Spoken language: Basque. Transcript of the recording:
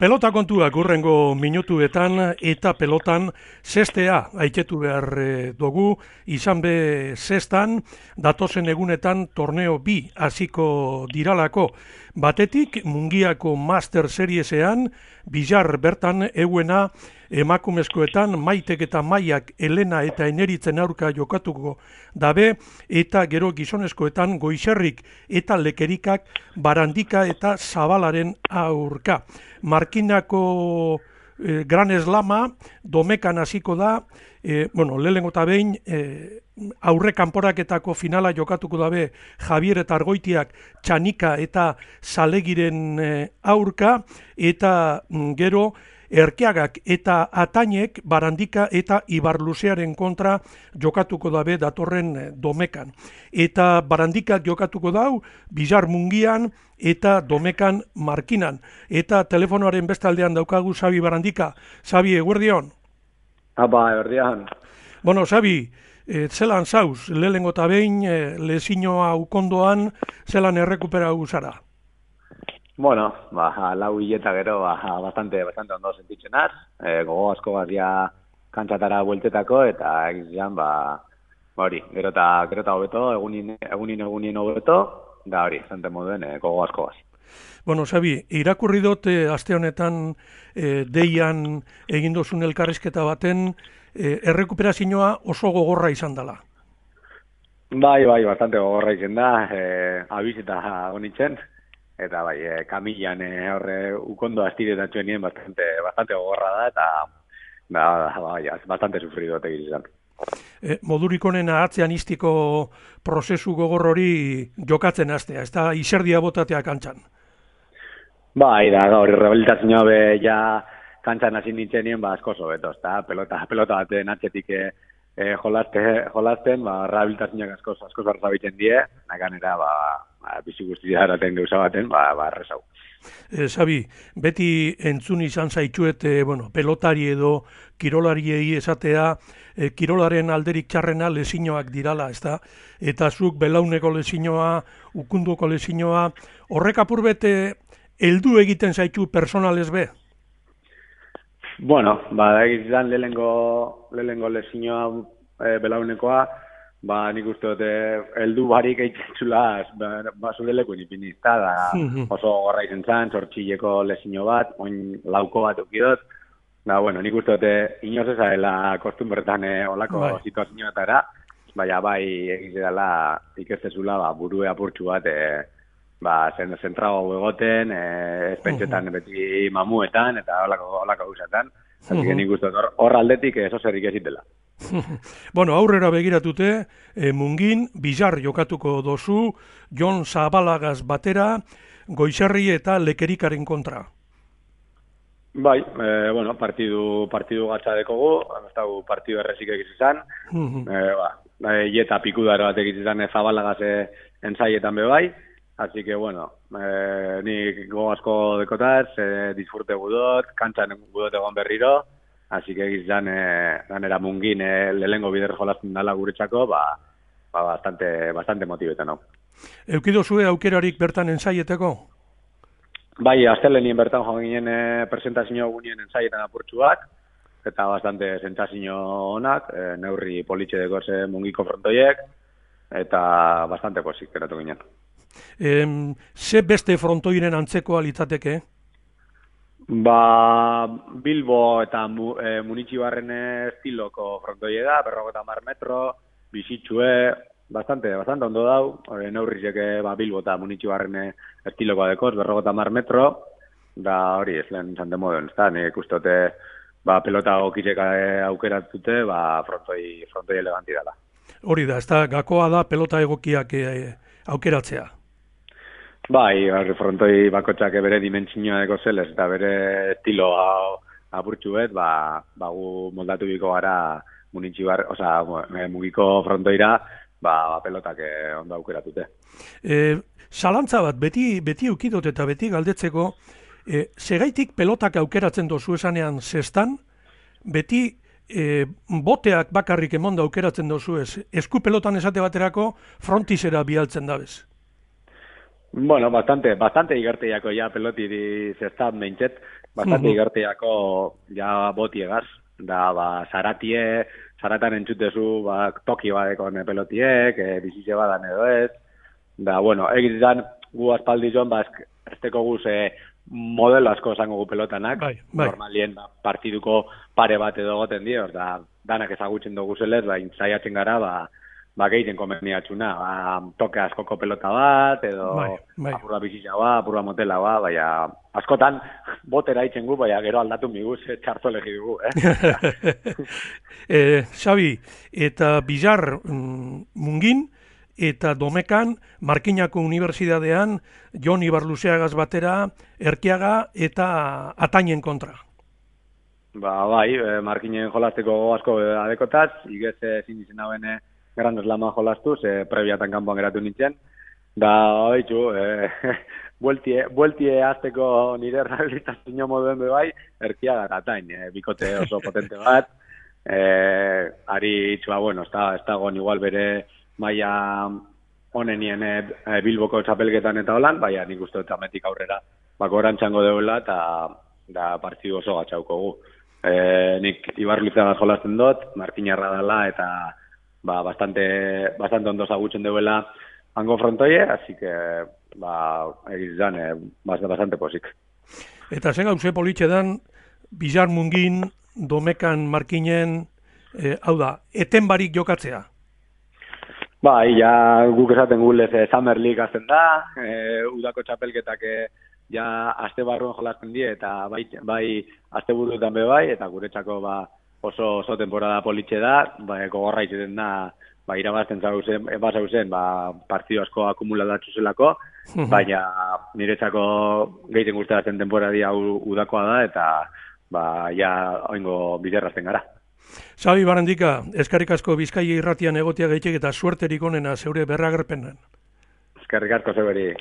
Pelota kontuak hurrengo minutuetan eta pelotan zestea aiketu behar dugu, izan be zestan, datozen egunetan torneo bi hasiko diralako. Batetik Mungiako Master Seriesean, Bilar bertan euena emakumezkoetan Maitek eta Maiak Elena eta Eneritzen aurka jokatuko dabe, eta gero gizonezkoetan Goizerrik eta Lekerikak Barandika eta Zabalaren aurka. Markinako Gran Eslama domekan hasiko da, lehenengo eta behin aurre kanporaketako finala jokatuko dabe Javier eta Argoitiak Txanika eta Zalegiren aurka, eta gero Erkeagak eta Atainek Barandika eta Ibarluzearen kontra jokatuko dabe datorren domekan. Eta Barandikak jokatuko dau Bilar Mungian eta domekan Markinan. Eta telefonoaren beste aldean daukagu Xabi Barandika. Xabi, eguerdion? Apa, eguerdion. Bueno, Xabi, zelan zauz, lehenengo eta behin lezinoa ukondoan, zelan errekuperau zara? Bueno, lau hileta gero bastante ondo sentitzen az, gogo asko garria kantzatara bueltetako, eta egizan, hori, gero eta hobeto, egunin hobeto, da hori, zante moduen gogo asko gaz. Bueno, Xabi, irakurri dut aste honetan deian egin dozun elkarrizketa baten, errekuperazioa oso gogorra izan dela. Bai, bastante gogorra izan da, abiz eta honitzen, eta kamilan horre ukondo astiretatxoen nien bastante gogorra da, eta bastante sufrido egin izan. Modurik onena atzean istiko prozesu gogor hori jokatzen hastea, ez da izerdia botatea kantxan. Bai, da, gaur, rehabilitazioa be ja kantxan hasi nintzen nien, asko sobeto, ez da, pelota baten atxetik jolasten, rehabilitazioak asko zarzabitzen die, naganera, bizi guztia eraten gauza baten, errezau. Xabi, beti entzun izan zaitxuet, pelotari edo kirolariei esatea, kirolaren alderik txarrena lezinoak dirala, ez da? Eta zuk belauneko lezinoa, ukunduko lezinoa, horrek apurbete heldu egiten zaitu personalez be? Bueno, egizan lehenengo lezinoa belaunekoa, nik uste dute heldu barik eitzula zure lekun ipinizta, oso gorra izen zan, sortxileko lezino bat, oin lauko bat eukidot, nik uste dute inoz ezadela kostumbertan olako situazioetara, bai egizela ikestezula burue apurtxu bat, zentrago egoten, espentsetan beti mamuetan, eta olako guzatan, nik uste dut hor aldetik eso zerrik ezitela. Bueno, aurrera begiratute, Mungin, Bilar jokatuko dozu, Jon Zabalagaz batera, Goizerri eta Lekerikaren kontra. Bai, partidu gatzadekogu, ez dago partidu errezik egiz izan, eta pikudaro bat egiz izan Zabalagaz entzaietan bebai, así que, nik go asko dekotaz, disfrute gudot, kantxan gudot egon berriro, así que egizan ganera Mungin lehengo bider jolazten dala guretzako, bastante motibetan hau. Eukido zue aukerarik bertan ensaieteko? Bai, astelenien bertan joan ginen presentazio gunien ensaietan apurtxuak, eta bastante sentsazio onak, neurri politxe dekoz Mungiko frontoiek, eta bastante pozik geratu ginen. Ze beste frontoiren antzekoa litzateke? Bilbo eta Munitxibarren estiloko frontoie da, 50 metro, bizitxue, bastante ondo dau, neurrizek Bilbo eta Munitxibarren estilokoa dekoz, 50 metro, da hori ez lehen zante moden, ez da, nik ustote pelota gokizek aukeratute, frontoi eleganti dela. Hori da, ez da, gakoa da pelota egokiak aukeratzea. Bai, frontoi bakotxak bere dimentsinoa deko zelez, eta bere estilo apurtxu bet, gu moldatu biko gara Mugiko frontoira, pelotak ondo aukeratute. Zalantza bat, beti eukidot eta beti galdetzeko, segaitik pelotak aukeratzen dozu esanean zestan, beti boteak bakarrik emonda aukeratzen dozu ez, esku pelotan esate baterako frontizera bialtzen dabez. Bueno, bastante igarteiako ja pelotiri zestan behintzet, bastante igartiako ja botiegaz, da, zaratan entzutezu, toki badekon pelotiek, bizitze badan edo ez, da, bueno, egizan gu aspaldi joan, esteko guz modelo asko zango gu pelotanak, normalien partiduko pare bat edo goten dio, da, danak ezagutzen dugu zelez, zaiatzen gara, gehiten komeniatxuna, toke askoko pelota bat, edo apurra bizitza apurra motela baina askotan botera itzen gu, baina gero aldatu miguz txarto legi dugu, Xabi, eta Bizar Mungin, eta Domekan, Markinako Unibertsitatean, Jon Ibarluzeagaz batera, Erkiaga eta Atainen kontra. Bai, Markinen jolasteko asko adekotaz, igez ezin izen hauen Grandes Lama jolastuz, prebiatan kanpoan geratu nintzen. Da, oitzu, bueltie azteko nire rehabilitazio moduen bai, Erkiaga eta Atain, bikote oso potente bat. Ari itxua, bueno, ez dagoen igual bere maia honenien Bilboko txapelketan eta holan, baina nik uste dut ametik aurrera gorantxango deula eta partidu oso gatxauko gu. Nik Ibarluzeagaz jolasten dut, Markinarra dela eta bastante ondo zagutzen deuela hango frontoie, así que egizan bastante posik. Eta zen gauze politxe dan, Bizar Mungin, Domekan Markinen, hau da, eten barik jokatzea? Ja guk esaten gulez Summer League azten da, udako txapelketak ja aste barruan jolasten die, eta bai aste buruetan bai, eta guretzako oso temporada politxe da, gogorra izaten da, irabazten zauzen, partidu asko akumulatatu zelako, baina niretzako gehiten gustatzen temporadi hau udakoa da, eta ja oingo biderrazten gara. Xabi Barandika, eskerrik asko Bizkaia irratian egotea gaitek eta suerterik onena zeure berragerpenan. Eskerrik asko zeuberi.